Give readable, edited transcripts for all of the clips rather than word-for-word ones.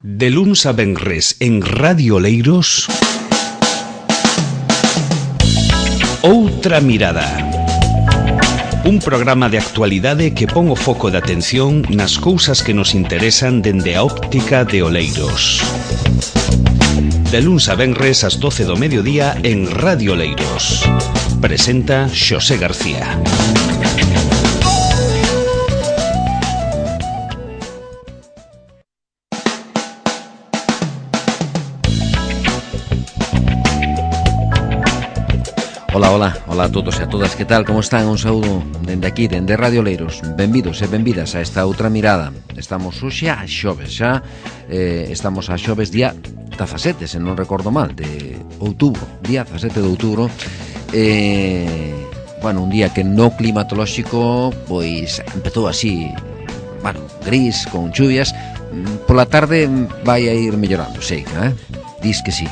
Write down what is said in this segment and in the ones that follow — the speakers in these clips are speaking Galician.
De luns a venres en Radio Oleiros, Outra Mirada. Un programa de actualidade que pon o foco de atención nas cousas que nos interesan dende a óptica de Oleiros. De luns a venres ás 12 do mediodía en Radio Oleiros. Presenta Xosé García. Ola a todos e a todas, que tal, como están? Un saúdo dende aquí, dende Radio Oleiros. Benvidos e benvidas a esta outra mirada. Estamos hoxe a xoves, estamos a xoves día 17, se non recordo mal, de outubro, día 17 de outubro. Un día que no climatolóxico, pois empezou así, gris, con chuvias. Pola tarde vai a ir mellorando, sei, dis que sí.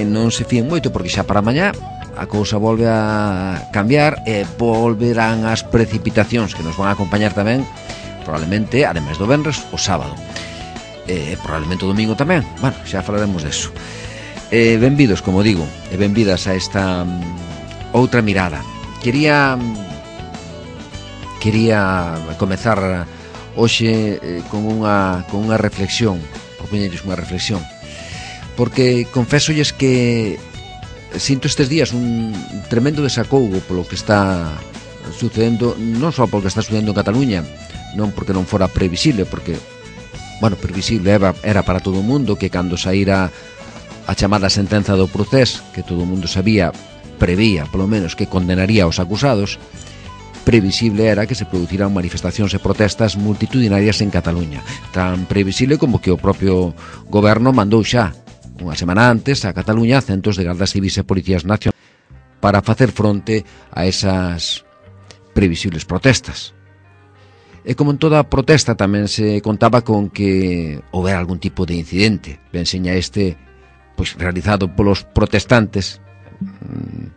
Non se fíen moito porque xa para mañá a cousa volve a cambiar e volverán as precipitacións que nos van a acompañar tamén, probablemente, ademais do venres, o sábado. Probablemente o domingo tamén. Xa falaremos deso. Benvidos, como digo, e benvidas a esta outra mirada. Quería comezar hoxe con unha reflexión, propoñerles unha reflexión, porque confésolles que sinto estes días un tremendo desacougo polo que está sucedendo, non só polo que está sucedendo en Cataluña, non porque non fora previsible, porque, previsible era para todo o mundo que cando saíra a chamada sentenza do procés, que todo o mundo prevía, polo menos, que condenaría aos acusados, previsible era que se produciran manifestacións e protestas multitudinarias en Cataluña, tan previsible como que o propio goberno mandou xa unha semana antes a Cataluña centos de gardas civis e policías nacionais para facer fronte a esas previsibles protestas. E como en toda protesta tamén se contaba con que houbera algún tipo de incidente, ben seña este realizado polos protestantes,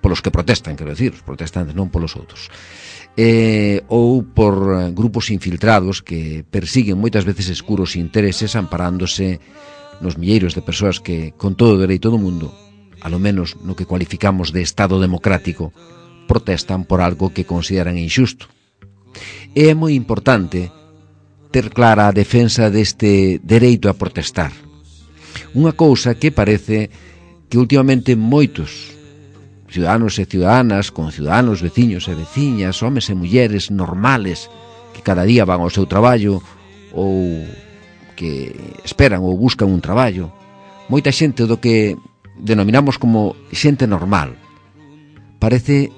polos que protestan, quero decir, os protestantes, non polos outros, ou por grupos infiltrados que persiguen moitas veces escuros intereses amparándose nos milleiros de persoas que, con todo o dereito do mundo, alo menos no que cualificamos de Estado democrático, protestan por algo que consideran injusto. É moi importante ter clara a defensa deste dereito a protestar. Unha cousa que parece que últimamente moitos ciudadanos e ciudadanas, conciudadanos, veciños e veciñas, homes e mulleres normales que cada día van ao seu traballo ou que esperan ou buscan un traballo, moita xente do que denominamos como xente normal, parece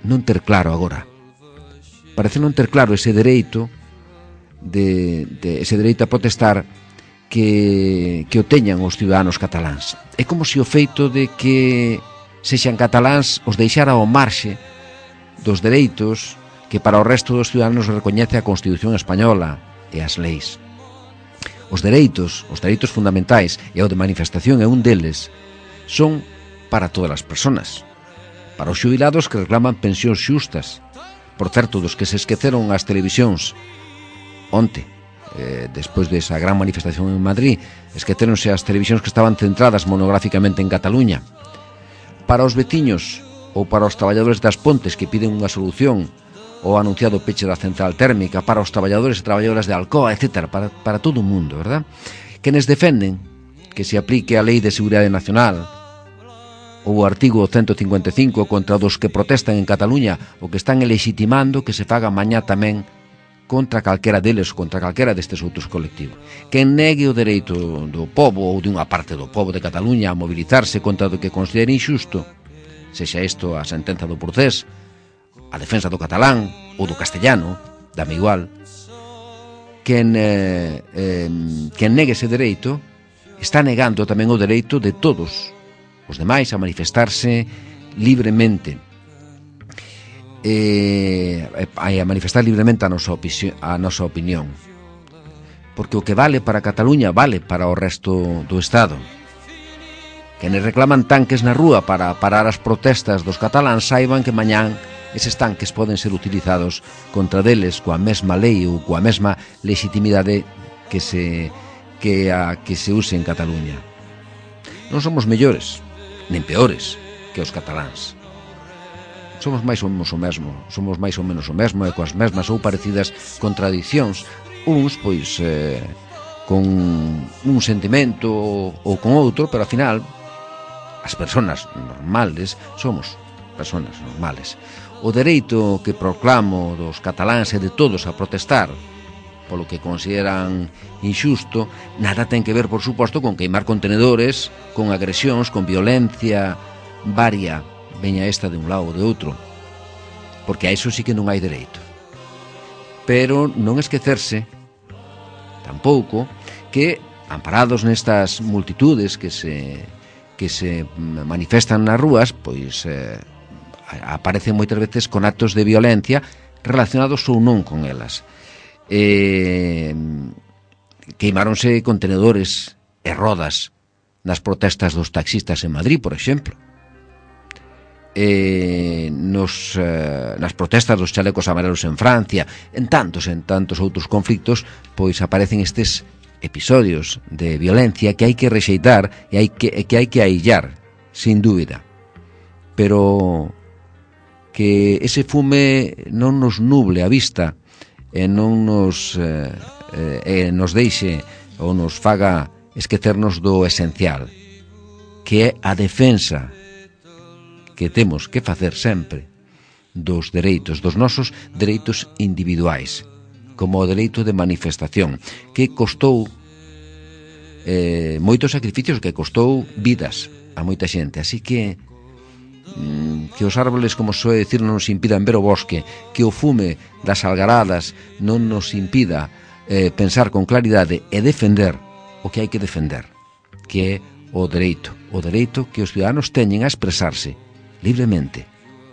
non ter claro agora. Parece non ter claro ese dereito ese dereito a protestar que o teñan os ciudadanos cataláns. É como se o feito de que sexan cataláns os deixara ao marxe dos dereitos que para o resto dos ciudadanos recoñece a Constitución española e as leis. Os dereitos fundamentais e o de manifestación é un deles, son para todas as persoas. Para os xubilados que reclaman pensións xustas. Por certo, dos que se esqueceron as televisións onte, despois desa gran manifestación en Madrid, esqueceronse as televisións que estaban centradas monográficamente en Cataluña. Para os veciños ou para os traballadores das Pontes que piden unha solución o anunciado peche da central térmica, para os traballadores e traballadoras de Alcoa, etc., para todo o mundo, verdad? Quenes defenden que se aplique a Lei de Seguridade Nacional ou o artigo 155 contra dos que protestan en Cataluña o que están legitimando que se faga mañá tamén contra calquera deles, contra calquera destes outros colectivos. Quen negue o dereito do pobo ou de unha parte do pobo de Cataluña a mobilizarse contra do que considere injusto, sexa isto a sentenza do procés, a defensa do catalán ou do castellano, dame igual, quen negue ese dereito está negando tamén o dereito de todos os demais a manifestarse libremente, a manifestar libremente a nosa opinión, porque o que vale para Cataluña vale para o resto do Estado. Quenes reclaman tanques na rúa para parar as protestas dos cataláns saiban que mañán eses tanques poden ser utilizados contra deles coa mesma lei ou coa mesma legitimidade que se que a que se use en Cataluña. Non somos mellores, nen peores que os cataláns. Somos máis ou menos o mesmo, e coas mesmas ou parecidas contradicións, uns, pois, con un sentimento ou con outro, pero ao final, as persoas normales somos persoas normales. O dereito que proclamo dos cataláns e de todos a protestar polo que consideran injusto, nada ten que ver, por suposto, con queimar contenedores, con agresións, con violencia varia, veña esta de un lado ou de outro, porque a iso sí que non hai dereito. Pero non esquecerse tampouco que, amparados nestas multitudes que se manifestan nas rúas, pois aparecen moitas veces con actos de violencia relacionados ou non con elas. Queimáronse contenedores e rodas nas protestas dos taxistas en Madrid, por exemplo. Nas protestas dos chalecos amarelos en Francia, en tantos outros conflictos, pois aparecen estes episodios de violencia que hai que rexeitar e que hai que aillar, sin dúbida. Pero que ese fume non nos nuble a vista e non nos deixe ou nos faga esquecernos do esencial, que é a defensa que temos que facer sempre dos dereitos, dos nosos dereitos individuais, como o dereito de manifestación, que costou moitos sacrificios, que costou vidas a moita xente. Así que os árboles, como soe dicir, non nos impidan ver o bosque, que o fume das algaradas non nos impida pensar con claridade e defender o que hai que defender, que é o dereito que os ciudadanos teñen a expresarse libremente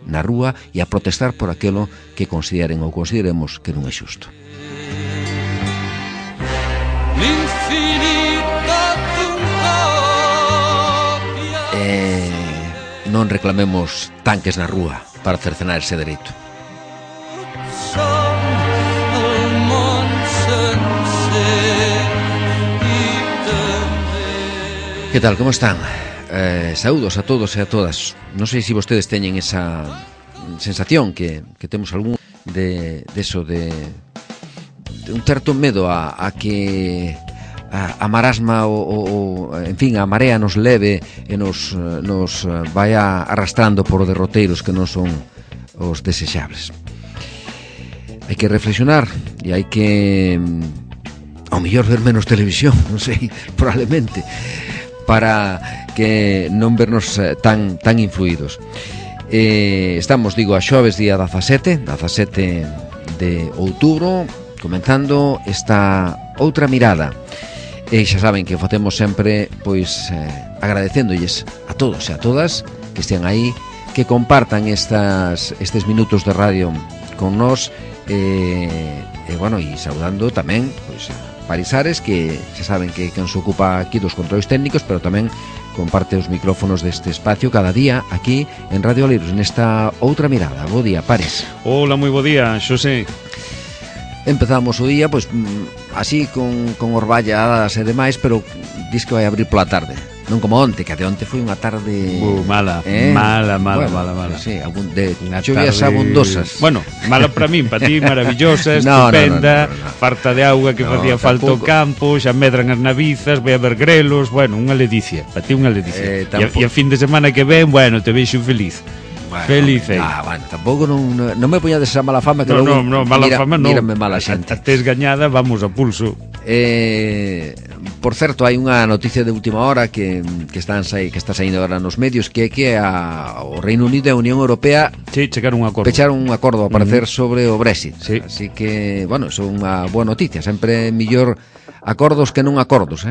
na rúa e a protestar por aquilo que consideren ou consideremos que non é xusto. Non reclamemos tanques na rúa para cercenar ese dereito. Que tal, como están? Saúdos a todos e a todas. Non sei se vostedes teñen esa sensación que temos algún de un certo medo a que a marasma en fin, a marea nos leve e nos vaya arrastrando por derroteiros que non son os desexables. Hai que reflexionar e hai que ao mellor ver menos televisión, non sei, probablemente, para que non vernos tan influídos. Estamos, digo, a xoves día 17 de outubro, comenzando esta outra mirada. E xa saben que o facemos sempre, pois, agradecéndolles a todos e a todas que estean aí, que compartan estes minutos de radio con nós, e saudando tamén, pois, a Parisares, que xa saben que quen se ocupa aquí dos controles técnicos, pero tamén comparte os micrófonos deste espacio cada día aquí en Radio Oleiros, nesta outra mirada. Bo día, Pares. Hola, moi bo día, Xosé. Empezamos o día, pois, así, con orballadas e demais, pero dis que vai abrir pola tarde. Non como onte, que de onte foi unha tarde... mala. Sí, de chuvias abundosas. Bueno, mala para min, para ti maravillosa, estupenda, no. Farta de auga que facía falta o campo, xa medran as navizas, vai haber grelos, bueno, unha ledicia, para ti unha ledicia. E a fin de semana que ven, bueno, te veixo feliz. Bueno, feliz, bueno, tampouco non me poñades esa mala fama que logo mírame mala xente. A tes gañada, vamos a pulso. Por certo, hai unha noticia de última hora que está saindo agora nos medios, que é que o Reino Unido e a Unión Europea pecharon un acordo a parecer sobre o Brexit. Sí. Así que, bueno, é unha boa noticia. Sempre mellor acordos que non acordos,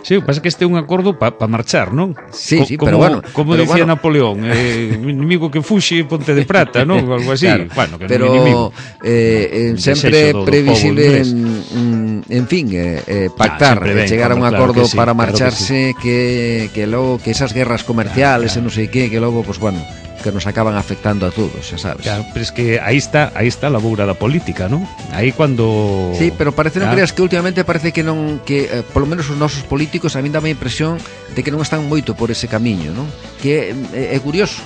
Sí, o que pasa é que este é un acordo para marchar, non? Sí, pero bueno. Como dicía Napoleón, inimigo que fuxe, ponte de prata, non? Algo así. Claro, bueno, que pero sempre previsible en fin, pactar, chegar a un acordo para marcharse, que logo que esas guerras comerciales e non sei que logo, pues bueno, que nos acaban afectando a todos, xa sabes. Claro, pero es que aí está a laboura da política, non? Aí cando... Sí, pero parece, non creas que últimamente parece que non, que polo menos os nosos políticos a min dá a impresión de que non están moito por ese camiño, non? Que é curioso,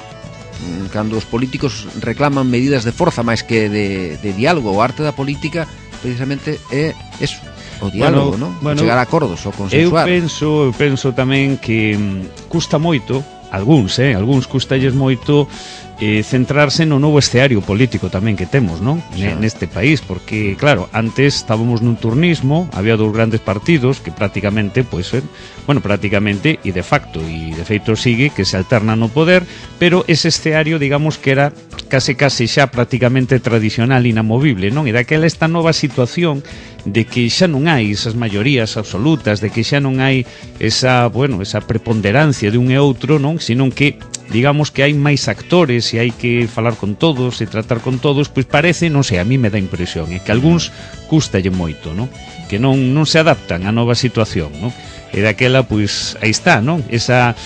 cando os políticos reclaman medidas de forza máis que de diálogo. O arte da política precisamente é eso, o diálogo, non? Chegar a acordos, o consensuar. Eu penso tamén que custa moito, algúns custalles moito centrarse no novo escenario político tamén que temos, non? Neste país, porque claro, antes estábamos nun turnismo, había dous grandes partidos que prácticamente, prácticamente e de facto e de feito sigue que se alternan no poder, pero ese escenario, digamos que era case xa prácticamente tradicional, inamovible, non? E daquela esta nova situación de que xa non hai esas maiorías absolutas, de que xa non hai esa preponderancia de un e outro, non? Senón que digamos que hai máis actores e hai que falar con todos e tratar con todos, pois parece, non sei, a mí me dá impresión que algúns custalle moito, non? Que non se adaptan á nova situación, non? E daquela, pois, aí está, non? Esa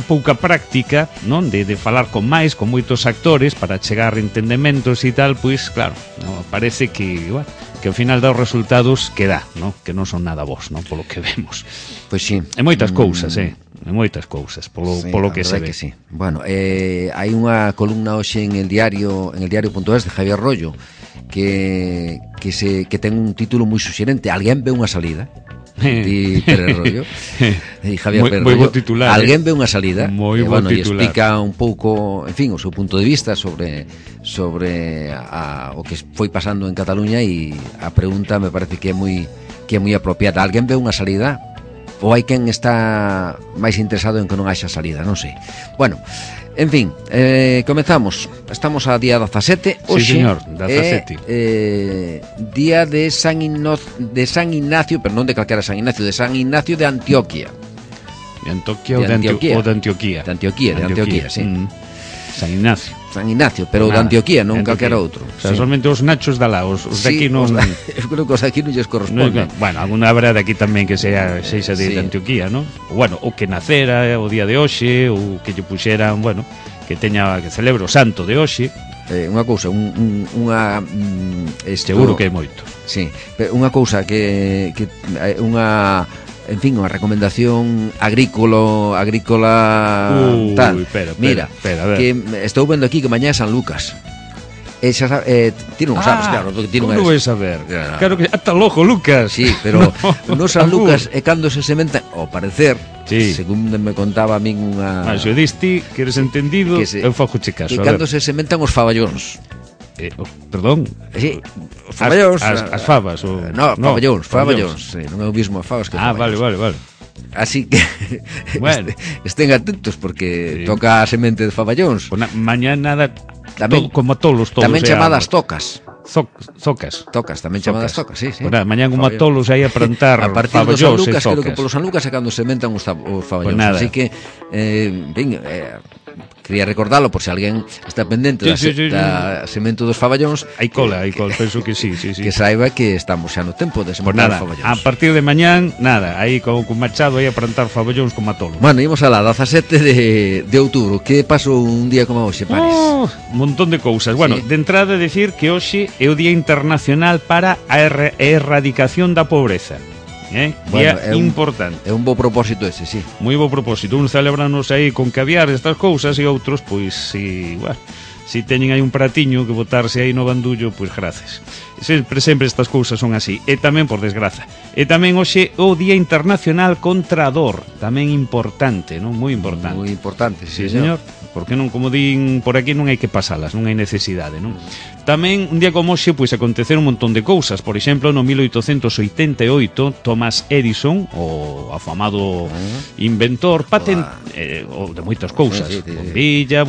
pouca práctica, non? De falar con moitos actores para chegar a entendementos e tal, pois, claro, non? Parece que ao final dá os resultados que dá, non? Que non son nada bons, non? Polo que vemos. Pois sí. E moitas cousas, moitas cousas, polo que se ve. Que sí. Bueno, hai unha columna hoxe en el diario.es de Javier Rollo que ten un título moi suxerente. Alguén ve unha salida. Di Pérez Rollo e Javier Pérez Rollo. Titular, alguén ve unha salida. Moi bo titular. E explica un pouco, en fin, o seu punto de vista sobre o que foi pasando en Cataluña, e a pregunta me parece que é moi apropiada. Alguén ve unha salida? Ou hai quen está máis interesado en que non haxa salida, non sei. Bueno, en fin, comezamos. Estamos a día 17. Oxe, sí, señor, 17. Día de San Ignacio, pero non de calquera San Ignacio, de San Ignacio de Antioquia. De Antioquia ou de Antioquia? De Antioquia, sí. San Ignacio. San Ignacio, pero de Antioquia, non calquera outro. O sea, solamente os nachos da lá, os de aquí non... Eu creo que os de aquí non lles corresponde. Bueno, alguna habrá de aquí tamén que sexa de Antioquia, non? Bueno, o que nacera o día de hoxe, ou que lle puxeran, que celebre o santo de hoxe. Unha cousa, seguro que é moito. Sí, unha cousa que unha... En fin, unha recomendación agrícola tal. Mira, que estou vendo aquí que mañá é San Lucas. Xa sabes, ti non sabes, claro, ti non eres. Como vais a ver? Claro que ata logo, Lucas. Sí, pero no San Lucas é cando se sementan, ao parecer, según me contaba a min unha... Se o diste, que eres entendido, eu fago che caso. E cando se sementan os faballóns. Perdón? Sí, os faballóns. As fabas? Faballóns. Non é o mismo as fabas que faballóns. Vale. Así que bueno, estén atentos porque toca a semente de faballóns. Mañá nada, tamén, como tolos. Tamén chamadas tocas. Tocas, tamén chamadas tocas, sí. Mañá como a tolos aí a plantar a partir faballóns do San Lucas, creo que polo San Lucas é cando sementan os faballóns. Así que, quería recordarlo por se alguén está pendente da semento dos faballóns. Hai cola, penso que sí. Que saiba que estamos xa no tempo de sementar faballóns. A partir de mañán, aí con Machado aí a plantar faballóns como a tolos. Bueno, imos alá, 17 de outubro. Que pasou un día como hoxe, Paris? Un montón de cousas. Bueno, de entrada decir que hoxe é o Día Internacional para a Erradicación da Pobreza. Día importante. É un bo propósito ese, sí. Moi bo propósito. Uns celebranos aí con caviar estas cousas e outros, pois, si teñen aí un pratiño que botarse aí no bandullo, pois gracias. Sempre estas cousas son así. E tamén, por desgraza. E tamén hoxe o Día Internacional contra a Dor. Tamén importante, non? Moi importante. Moi importante, sí, señor. Porque non, como din por aquí, non hai que pasalas, non hai necesidade, non? Tamén, un día como hoxe, pois aconteceron un montón de cousas. Por exemplo, no 1888, Thomas Edison, o afamado inventor, de moitas cousas, bombilla,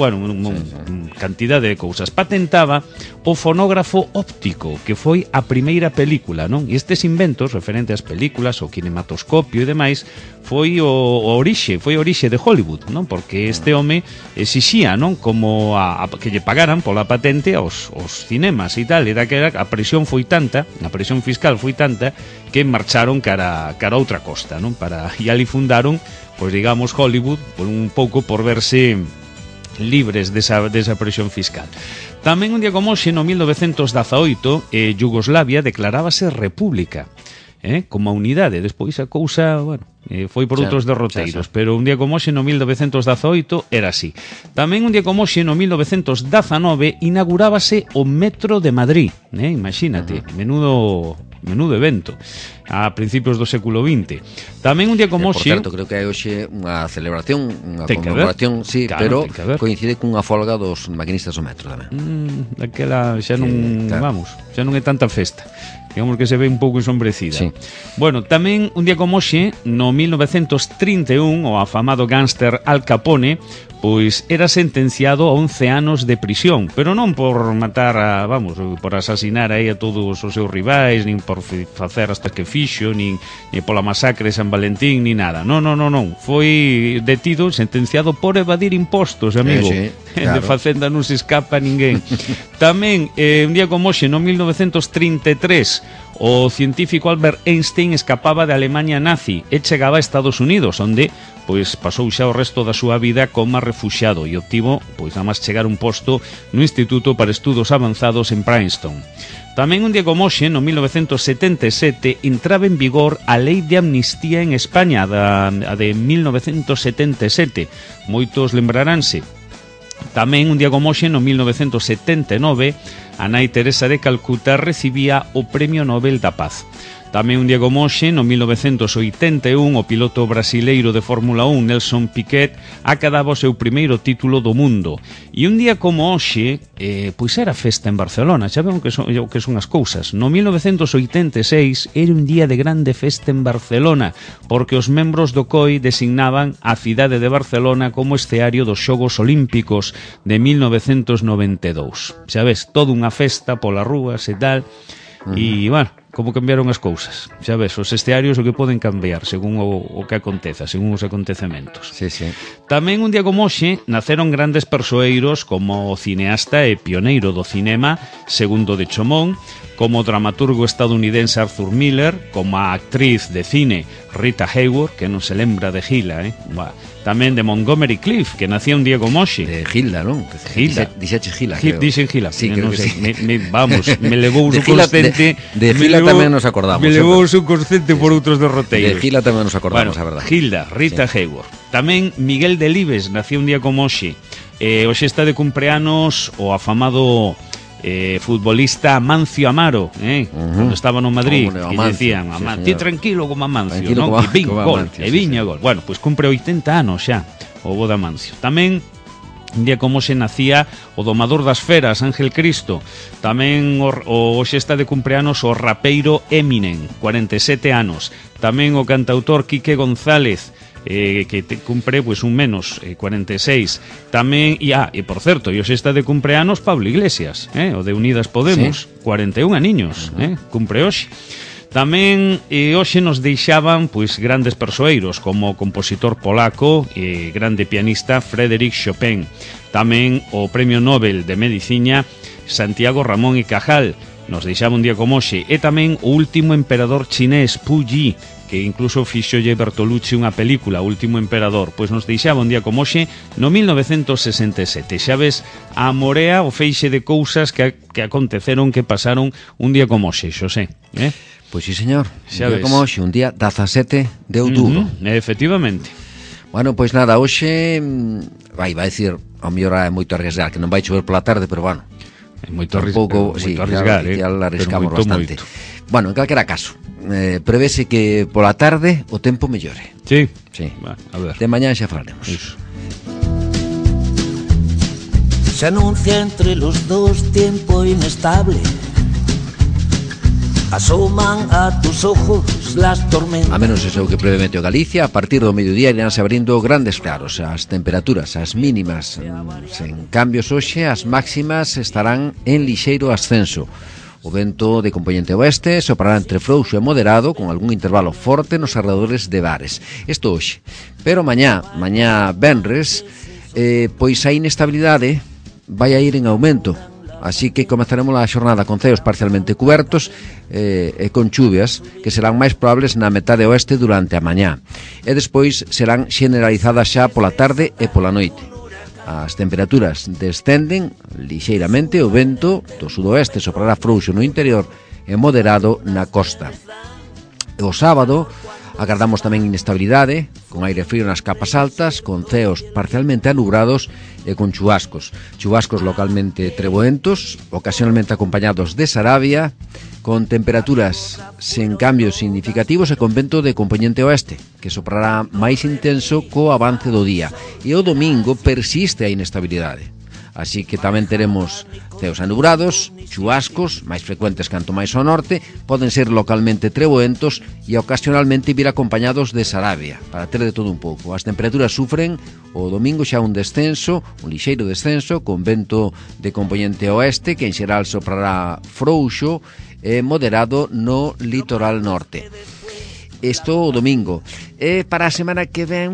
cantidade de cousas, patentaba o fonógrafo óptico, que foi a primeira película, non? E estes inventos, referente ás películas, o kinematoscopio e demais, foi orixe de Hollywood, non? Porque este home exixía, non? Como que lle pagaran pola patente aos cinemas e tal, e daquela a presión foi tanta, a presión fiscal foi tanta, que marcharon cara a outra costa, non? E ali fundaron, pois digamos, Hollywood, por un pouco por verse libres desa presión fiscal. Tamén un día como hoxe, no 1918, Yugoslavia declarábase república, como a unidade. Despois a cousa, bueno, foi por outros derroteiros, pero un día como hoxe, no 1918, era así. Tamén un día como hoxe, no 1919, inaugurábase o Metro de Madrid, imagínate, menudo evento a principios do século XX. Tamén un día como hoxe... Por certo, creo que hai hoxe unha celebración, unha conmemoración, sí, claro, pero coincide cunha folga dos maquinistas do metro tamén. Daquela xa non, vamos, xa non é tanta festa. Digamos que se ve un pouco ensombrecida. Sí. Bueno, tamén un día como hoxe, no 1931, o afamado gánster Al Capone, pois era sentenciado a 11 anos de prisión, pero non por matar por asasinar aí a todos os seus rivais, nin por facer hasta que fixo, nin pola masacre de San Valentín, ni nada. Non. Foi detido, sentenciado por evadir impostos, amigo. Sí, claro. De Facenda non se escapa ninguén. Tamén, un día como hoxe, no 1933, o científico Albert Einstein escapaba de Alemania nazi e chegaba a Estados Unidos, onde pois pasou xa o resto da súa vida como refuxiado e obtivo, pois nada máis chegar un posto no Instituto para Estudos Avanzados en Princeton. Tamén un día como hoxe, no 1977, entraba en vigor a Lei de Amnistía en España, a de 1977. Moitos lembraránse. Tamén un día como hoxe, no 1979, a nai Teresa de Calcuta recibía o Premio Nobel da Paz. Tamén un día como hoxe, no 1981, o piloto brasileiro de Fórmula 1, Nelson Piquet, acadaba o seu primeiro título do mundo. E un día como hoxe, pois era festa en Barcelona, xa ven o que son as cousas. No 1986 era un día de grande festa en Barcelona, porque os membros do COI designaban a cidade de Barcelona como escenario dos Xogos Olímpicos de 1992. Xa ves, toda unha festa polas rúas e tal, e, bueno, como cambiaron as cousas. Xa ves, os estearios o que poden cambiar según o que aconteza, según os acontecementos. Sí, sí. Tamén un día como hoxe naceron grandes persoeiros como o cineasta e pioneiro do cinema Segundo de Chomón, como o dramaturgo estadounidense Arthur Miller, como a actriz de cine Rita Hayworth, que non se lembra de Gila, tamén de Montgomery Clift, que nacía un día como hoxe. De Gilda, non? Gilda. Dixeche Gila, creo. Dixen Gila. Sí, creo que sí. Me levou o subconsciente. De Gila tamén nos acordamos. Me levou o subconsciente por outros derroteiros. De Gila tamén nos acordamos, a verdade. Gilda, Rita Hayworth. Tamén Miguel Delibes nacía un día como hoxe. Hoxe está de cumpleanos o afamado futbolista Amancio Amaro, cando estaba no Madrid, que decían, ti tranquilo como Amancio, non? E vin gol, e viña gol. Bueno, pois cumpre 80 anos xa o bo de Amancio. Tamén un día como se nacía o domador das feras, Ángel Cristo. Tamén hoxe está de cumpleanos o rapeiro Eminem, 47 anos. Tamén o cantautor Quique González, que cumpre pois un menos, 46. Tamén, e por certo, hoxe está de cumpleanos Pablo Iglesias, o de Unidas Podemos, sí. 41 aniños, cumpre hoxe. Tamén hoxe nos deixaban pois grandes persoeiros como o compositor polaco e grande pianista Frédéric Chopin. Tamén o Premio Nobel de Medicina Santiago Ramón y Cajal nos deixaba un día como hoxe. E tamén o último emperador chinés Pu Yi, que incluso fixolle Bertolucci unha película, O último emperador, pois nos deixaba un día como hoxe no 1967. Xa ves a morea o feixe de cousas que aconteceron, que pasaron un día como hoxe, Xosé, Pois sí, señor, un día como hoxe, un día 17 de outubro. Efectivamente. Bueno, pois nada, hoxe vai dicir, ao mellor é moito arriesgar, que non vai chover pola tarde, pero bueno, é moito arriesgar, ya arriscamos bastante. Bueno, en calquera caso, prevese que pola tarde o tempo mellore. Sí. Bueno, a ver. De mañá xa falaremos. Iso. Se anuncia entre los dos tiempo inestable. Asoman a tus ojos las tormentas. A menos eso que prevé Meteo Galicia, a partir do mediodía iránse abrindo grandes claros. As temperaturas, as mínimas sen cambios hoxe, as máximas estarán en lixeiro ascenso. O vento de componente oeste soprará entre frouxo e moderado, con algún intervalo forte nos arredores de Bares. Isto hoxe. Pero mañá venres, pois a inestabilidade vai a ir en aumento. Así que comezaremos a xornada con ceos parcialmente cubertos e con chuvias que serán máis probables na metade oeste durante a mañá, e despois serán xeneralizadas xa pola tarde e pola noite. as temperaturas descenden lixeiramente, o vento do sudoeste soprará frouxo no interior e moderado na costa. O sábado agardamos tamén inestabilidade, con aire frío nas capas altas, con ceos parcialmente anubrados e con chubascos. Chubascos localmente treboentos, ocasionalmente acompañados de sarabia, con temperaturas sen cambios significativos e con vento de componente oeste, que soprará máis intenso co avance do día. E o domingo persiste a inestabilidade. Así que tamén teremos ceos anubrados, chubascos, máis frecuentes canto máis ao norte, poden ser localmente treboentos e ocasionalmente vir acompañados de sarabia, para ter de todo un pouco. As temperaturas sufren o domingo xa un descenso, un lixeiro descenso, con vento de componente oeste, que en xeral soprará frouxo e moderado no litoral norte. Isto o domingo. E para a semana que ven,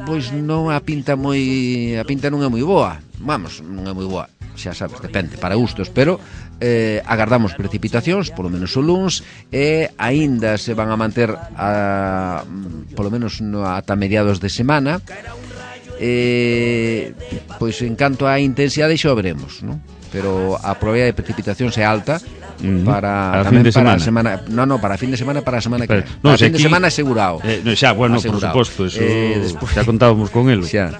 pois non a pinta non é moi boa. Vamos, non é moi boa, xa sabes, depende, para gustos, pero agardamos precipitacións, polo menos o luns, e aínda se van a manter polo menos ata mediados de semana. Pois en canto á intensidade xa o veremos, non? Pero a probabilidade de precipitacións é alta para fin de semana. Para fin de semana, para a semana que no, para fin aquí, de semana asegurado. Xa, bueno, asegurado. Por suposto, eso después, xa contábamos con el. Xa.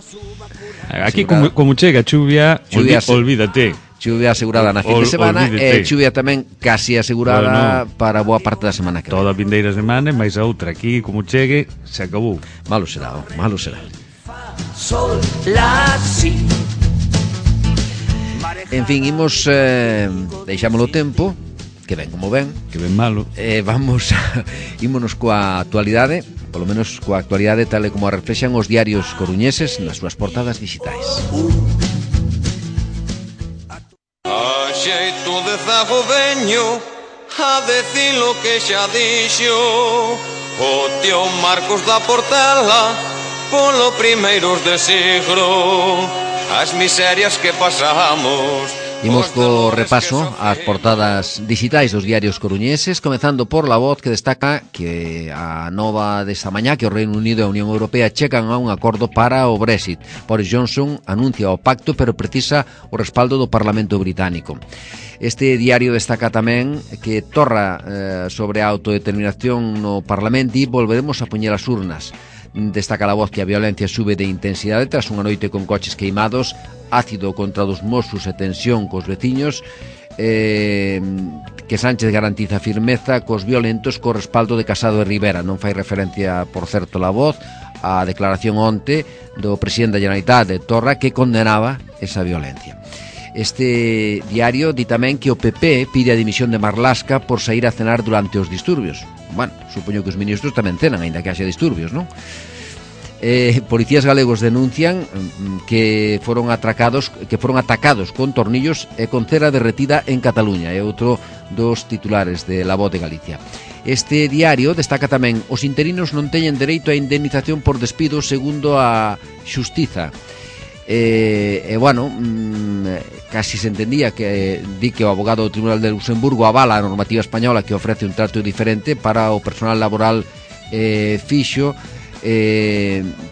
Aquí como chega chuvia olvídate. Chuvia asegurada na fin de semana e chuvia tamén casi asegurada para boa parte da semana que toda a vindeira semana, máis a outra. Aquí como chegue, se acabou. Malo será. Sol, la, si. En fin, imos deixámolo o tempo, que ven como ven, que ven malo. Ímonos coa actualidade, polo menos coa actualidade tal e como a reflexan os diarios coruñeses nas súas portadas digitais. A xeito de zago veño a decir lo que xa dixo o tío Marcos da Portela polo primeiros de siglo. As miserias que pasamos. Imos co repaso ás portadas digitais dos diarios coruñeses, comezando por La Voz, que destaca que a nova desta mañá que o Reino Unido e a Unión Europea chegan a un acordo para o Brexit. Boris Johnson anuncia o pacto, pero precisa o respaldo do Parlamento británico. Este diario destaca tamén que torra sobre a autodeterminación no Parlamento e volveremos a poñer as urnas. Destaca La Voz que a violencia sube de intensidade tras unha noite con coches queimados, ácido contra dos Mossos e tensión cos veciños, que Sánchez garantiza firmeza cos violentos co respaldo de Casado e Rivera. Non fai referencia, por certo, La Voz a declaración onte do presidente da Generalitat de Torra que condenaba esa violencia. Este diario di tamén que o PP pide a dimisión de Marlaska por sair a cenar durante os disturbios. Bueno, supoño que os ministros tamén cenan, aínda que haxa disturbios, non? Policías galegos denuncian que foron atacados con tornillos e con cera derretida en Cataluña. É outro dos titulares de La Voz de Galicia. Este diario destaca tamén os interinos non teñen dereito a indemnización por despido segundo a Xustiza. Casi se entendía que di que o abogado do Tribunal de Luxemburgo avala a normativa española que ofrece un trato diferente para o personal laboral fixo,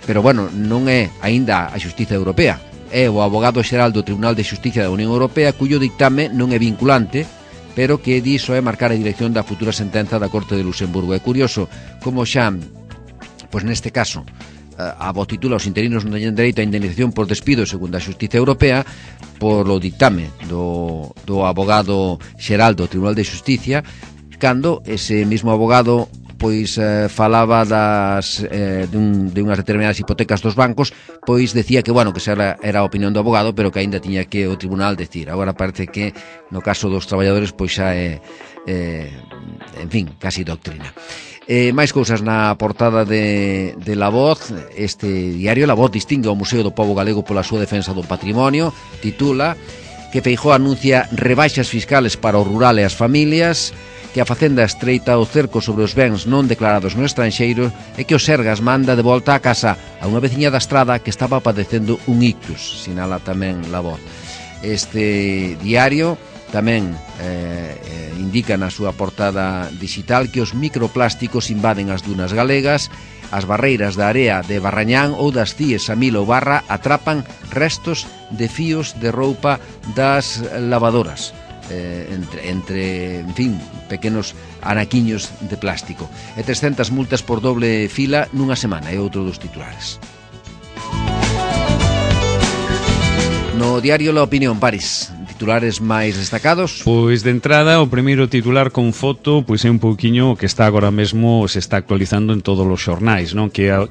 pero non é aínda a Xustiza Europea, é o abogado xeral do Tribunal de Xustiza da Unión Europea, cuyo dictame non é vinculante, pero que diso é marcar a dirección da futura sentenza da Corte de Luxemburgo. É curioso como xa, pois neste caso, a voz titula os interinos non teñen dereito a indemnización por despido segundo a Xustiza Europea por o dictame do abogado xeral do Tribunal de Xusticia, cando ese mismo abogado pois falaba de unhas determinadas hipotecas dos bancos, pois decía que que era a opinión do abogado, pero que aínda tiña que o tribunal decir. Agora parece que no caso dos traballadores pois xa é en fin, casi doctrina. Máis cousas na portada de La Voz. Este diario, La Voz, distingue o Museo do Pobo Galego pola súa defensa do patrimonio. Titula que Feijóo anuncia rebaixas fiscales para o rural e as familias, que a Facenda estreita o cerco sobre os bens non declarados no estranxeiro e que o Sergas manda de volta a casa a unha veciña da Estrada que estaba padecendo un ictus, sinala tamén La Voz. Este diario Tamén indica na súa portada digital que os microplásticos invaden as dunas galegas, as barreiras da area de Barrañán ou das Cíes a Milo Barra atrapan restos de fíos de roupa das lavadoras, entre, en fin, pequenos anaquiños de plástico. E 300 multas por doble fila nunha semana, é outro dos titulares. No diario La Opinión, Paris, titulares máis destacados? Pois de entrada, o primeiro titular con foto pois é un pouquiño que está agora mesmo, se está actualizando en todos os xornais, non? Que a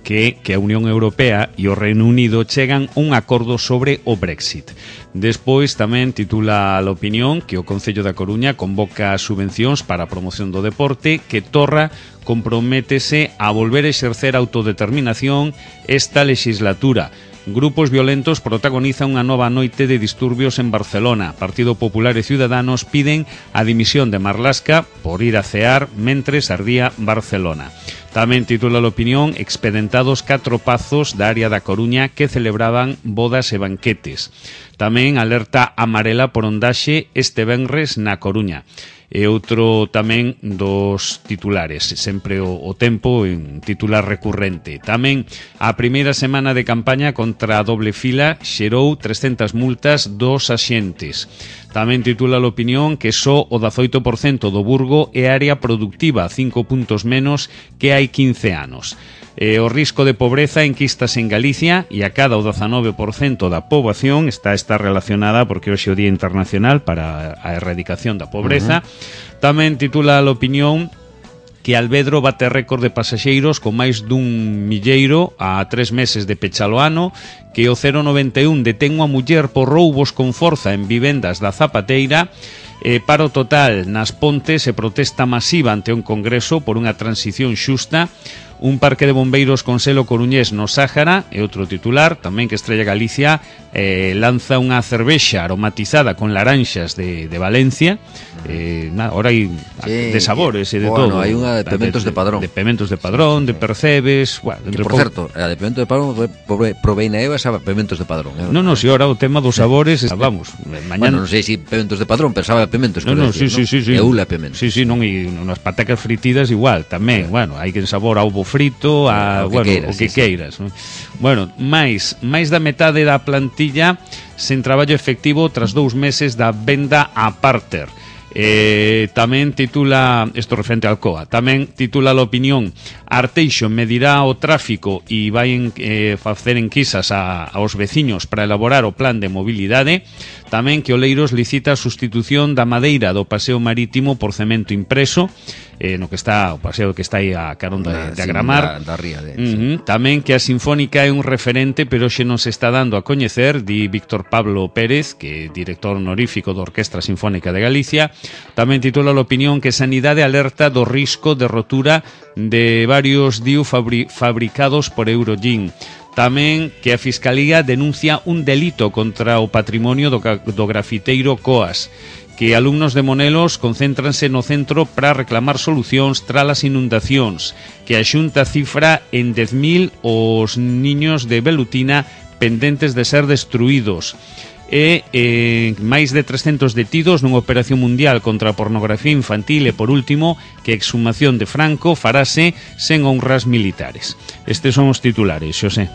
Unión Europea e o Reino Unido chegan un acordo sobre o Brexit. Despois tamén titula La Opinión que o Concello da Coruña convoca subvencións para a promoción do deporte, que Torra comprométese a volver a exercer autodeterminación esta legislatura. Grupos violentos protagonizan unha nova noite de disturbios en Barcelona. Partido Popular e Ciudadanos piden a dimisión de Marlaska por ir a cear mentres ardía Barcelona. Tamén titula La Opinión expedentados 4 pazos da área da Coruña que celebraban bodas e banquetes. Tamén alerta amarela por ondaxe este venres na Coruña. E outro tamén dos titulares, sempre o tempo en titular recurrente. Tamén a primeira semana de campaña contra a doble fila xerou 300 multas dos axentes. Tamén titula La Opinión que só o 18% do Burgo é área productiva, 5 puntos menos que hai 15 anos. O risco de pobreza enquistas en Galicia e a cada o 19% da poboación está relacionada porque hoxe é o Día Internacional para a Erradicación da Pobreza. Tamén titula La Opinión que Alvedro bate récord de pasaxeiros con máis dun milleiro a 3 meses de pechalo ano, que o 091 detén unha muller por roubos con forza en vivendas da Zapateira. Paro total nas Pontes e protesta masiva ante un congreso por unha transición xusta. Un parque de bombeiros con selo coruñés no Sáhara e outro titular, tamén que Estrella Galicia lanza unha cervexa aromatizada con laranxas de Valencia. Ahora hai de sabores e de todo. Hai unha de pementos de Padrón. De pementos de Padrón, de Percebes. Que, por certo, a de pemento de Padrón provei na Eva esa pementos de Padrón. Non, si ahora o tema dos sabores, vamos, mañana. Bueno, non sei se pementos de Padrón, pero sabe a pementos. Sí. E ula pementos. Sí, non, e nas patacas fritidas igual, tamén, bueno, hai que sabor a ovo frito, a, o que queiras. Bueno, máis da metade da plantilla sen traballo efectivo tras 2 meses da venda a Parter. Tamén titula, isto referente ao Alcoa, tamén titula La Opinión, Arteixo medirá o tráfico e vai facer enquisas aos veciños para elaborar o plan de mobilidade. Tamén que Oleiros licita a sustitución da madeira do paseo marítimo por cemento impreso, no que está o paseo que está aí a carón de Agramar. Da ría de, Tamén que a Sinfónica é un referente, pero xe non se está dando a coñecer, di Víctor Pablo Pérez, que é director honorífico da Orquestra Sinfónica de Galicia. Tamén titula La Opinión que Sanidade alerta do risco de rotura de varios DIU fabricados por Eurogin. Tamén que a Fiscalía denuncia un delito contra o patrimonio do grafiteiro Coas, que alumnos de Monelos concéntranse no centro para reclamar solucións tras as inundacións, que a Xunta cifra en 10.000 os niños de Velutina pendentes de ser destruídos. Máis de 300 detidos nunha operación mundial contra a pornografía infantil e, por último, que a exhumación de Franco farase sen honras militares. Estes son os titulares, Xosé.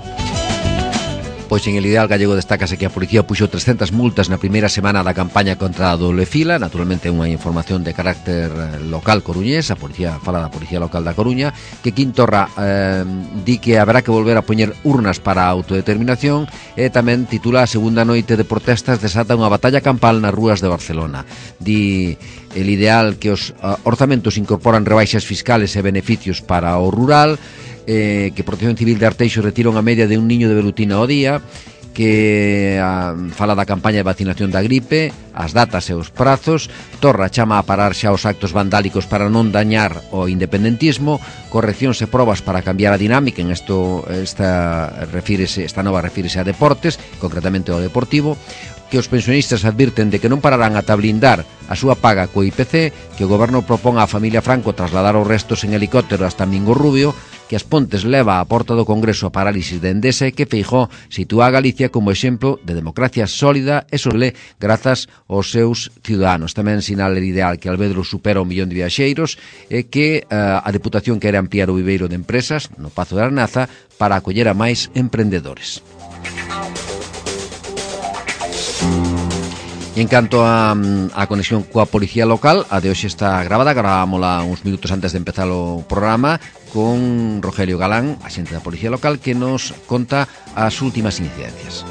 Pois en El Ideal Gallego destácase que a policía puxo 300 multas na primeira semana da campaña contra a doble fila. Naturalmente unha información de carácter local coruñés. A policía fala da Policía Local da Coruña, que Quintorra di que haberá que volver a poñer urnas para a autodeterminación, e tamén titula: a segunda noite de protestas desata unha batalla campal nas rúas de Barcelona. Di El Ideal que os orzamentos incorporan rebaixas fiscales e beneficios para o rural, que Protección Civil de Arteixo retira unha media de un niño de Velutina ao día, que fala da campaña de vacinación da gripe, as datas e os prazos. Torra chama a parar xa os actos vandálicos para non dañar o independentismo, correccións e probas para cambiar a dinámica. Esta nova refírese a deportes, concretamente ao Deportivo, que os pensionistas advirten de que non pararán ata blindar a súa paga co IPC, que o goberno propón á familia Franco trasladar os restos en helicóptero hasta Mingo Rubio, que as Pontes leva á porta do Congreso a parálisis de Endesa e que Feijóo sitúa a Galicia como exemplo de democracia sólida e sole grazas aos seus ciudadanos. Tamén sinala el ideal que Albedro supera 1 millón de viaxeiros e que a Deputación quere ampliar o viveiro de empresas no Pazo de Arnaza para acoller a máis emprendedores. E en canto a conexión coa policía local, a de hoxe está gravada, gravámola uns minutos antes de empezar o programa con Rogelio Galán, axente da policía local, que nos conta as últimas incidencias.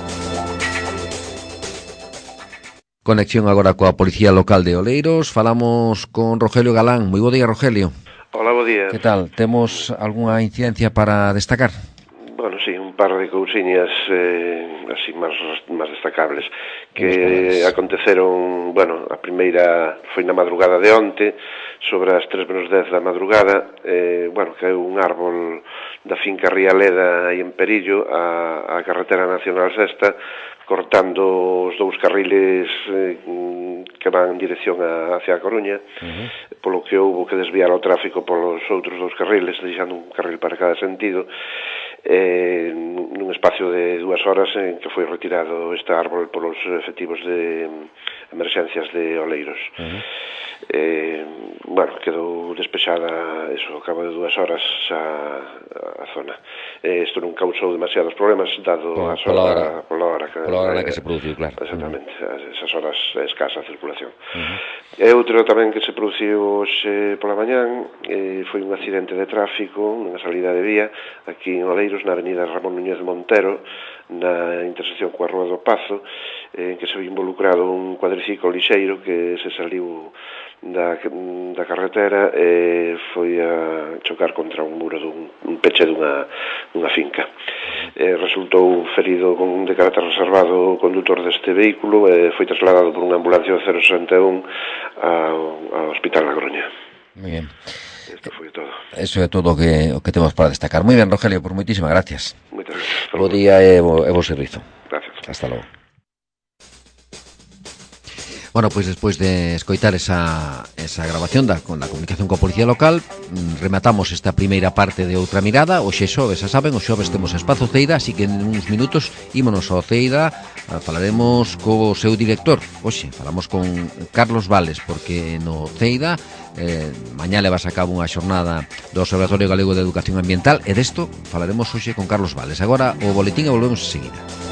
Conexión agora coa policía local de Oleiros, falamos con Rogelio Galán. Moi bo día, Rogelio. Hola, bo día. Que tal? Temos algunha incidencia para destacar? Bueno, sí, un par de cousiñas así máis destacables que aconteceron, bueno, a primeira foi na madrugada de onte, sobre as 3:10 da madrugada, bueno, caeu un árbol da finca Rialeda aí en Perillo, a carretera nacional 6, cortando os dous carriles que van en dirección hacia a Coruña, polo que houbo que desviar o tráfico polos outros dous carriles, deixando un carril para cada sentido, nun espacio de 2 horas en que foi retirado este árbol polos efectivos de emerxencias de Oleiros. Bueno, quedou despexada eso, ao cabo de 2 horas a zona. Isto non causou demasiados problemas dado pola hora na que se produciu, claro. Exactamente, esas horas escasa a circulación. E outro tamén que se produciu hoxe pola mañán foi un accidente de tráfico nunha salida de vía aquí en Oleiros, na avenida Ramón Núñez de Montero, na intersección coa Rúa do Pazo, en que se foi involucrado un cuadriciclo lixeiro que se saliu da carretera e foi a chocar contra un muro dun peche dunha finca. Resultou ferido de carácter reservado o condutor deste vehículo e foi trasladado por unha ambulancia do 061 ao Hospital da Coruña. Moi ben. Isto foi todo. Eso é todo o que temos para destacar. Moi ben, Rogelio, por moitísimas gracias. Moitas gracias. Bo día e bo servizo. Gracias. Hasta logo. Bueno, pois despois de escoitar esa grabación con la comunicación coa policía local, rematamos esta primeira parte de Outra Mirada. Hoxe xoves, xa saben, os xoves temos Espazo Ceida, así que en uns minutos ímonos ao Ceida, falaremos co seu director. Hoxe falamos con Carlos Vales, porque no Ceida mañá levas a cabo unha xornada do Observatorio Galego de Educación Ambiental e desto falaremos hoxe con Carlos Vales. Agora o boletín e volvemos enseguida.